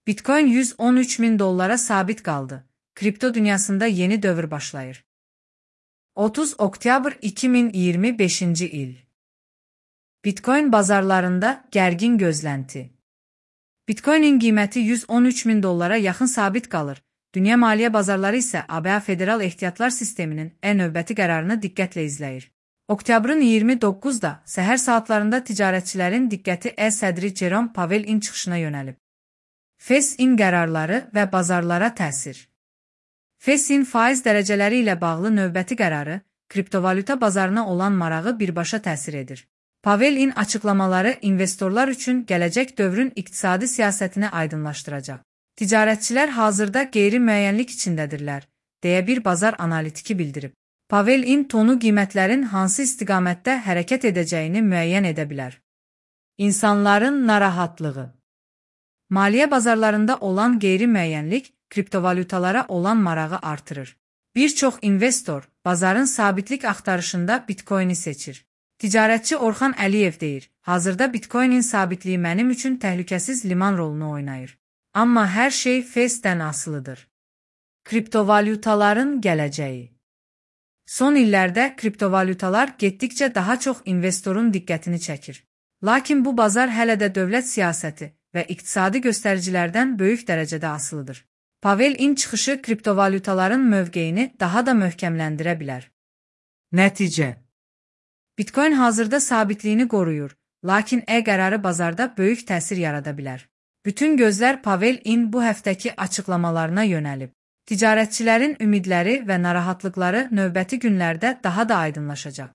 Bitcoin 113 min dollara sabit qaldı. Kripto dünyasında yeni dövr başlayır. 30 oktyabr 2025 il. Bitcoin bazarlarında gərgin gözlənti. Bitcoin'in qiyməti 113 min dollara yaxın sabit qalır. Dünya maliyyə bazarları isə ABA Federal Ehtiyatlar Sisteminin növbəti qərarını diqqətlə izləyir. Oktyabrın 29-da səhər saatlarında ticarətçilərin diqqəti sədri Jerome Powell'in çıxışına yönəlib. FED-in qərarları və bazarlara təsir. FED-in faiz dərəcələri ilə bağlı növbəti qərarı, kriptovalyuta bazarına olan marağı birbaşa təsir edir. Powell'in açıqlamaları investorlar üçün gələcək dövrün iqtisadi siyasətini aydınlaşdıracaq. Ticarətçilər hazırda qeyri-müəyyənlik içindədirlər, deyə bir bazar analitiki bildirib. Powell'in tonu qiymətlərin hansı istiqamətdə hərəkət edəcəyini müəyyən edə bilər. İnsanların narahatlığı. Maliyyə bazarlarında olan qeyri-müəyyənlik kriptovalyutalara olan marağı artırır. Bir çox investor bazarın sabitlik axtarışında Bitcoin'i seçir. Ticarətçi Orxan Əliyev deyir, hazırda Bitcoin'in sabitliyi mənim üçün təhlükəsiz liman rolunu oynayır. Amma hər şey FED-dən asılıdır. Kriptovalyutaların gələcəyi. Son illərdə kriptovalyutalar getdikcə daha çox investorun diqqətini çəkir. Lakin bu bazar hələ də dövlət siyasəti və iqtisadi göstəricilərdən böyük dərəcədə asılıdır. Powell'in çıxışı kriptovalyutaların mövqeyini daha da möhkəmləndirə bilər. Nəticə. Bitcoin hazırda sabitliyini qoruyur, lakin qərarı bazarda böyük təsir yarada bilər. Bütün gözlər Powell'in bu həftəki açıqlamalarına yönəlib. Ticarətçilərin ümidləri və narahatlıqları növbəti günlərdə daha da aydınlaşacaq.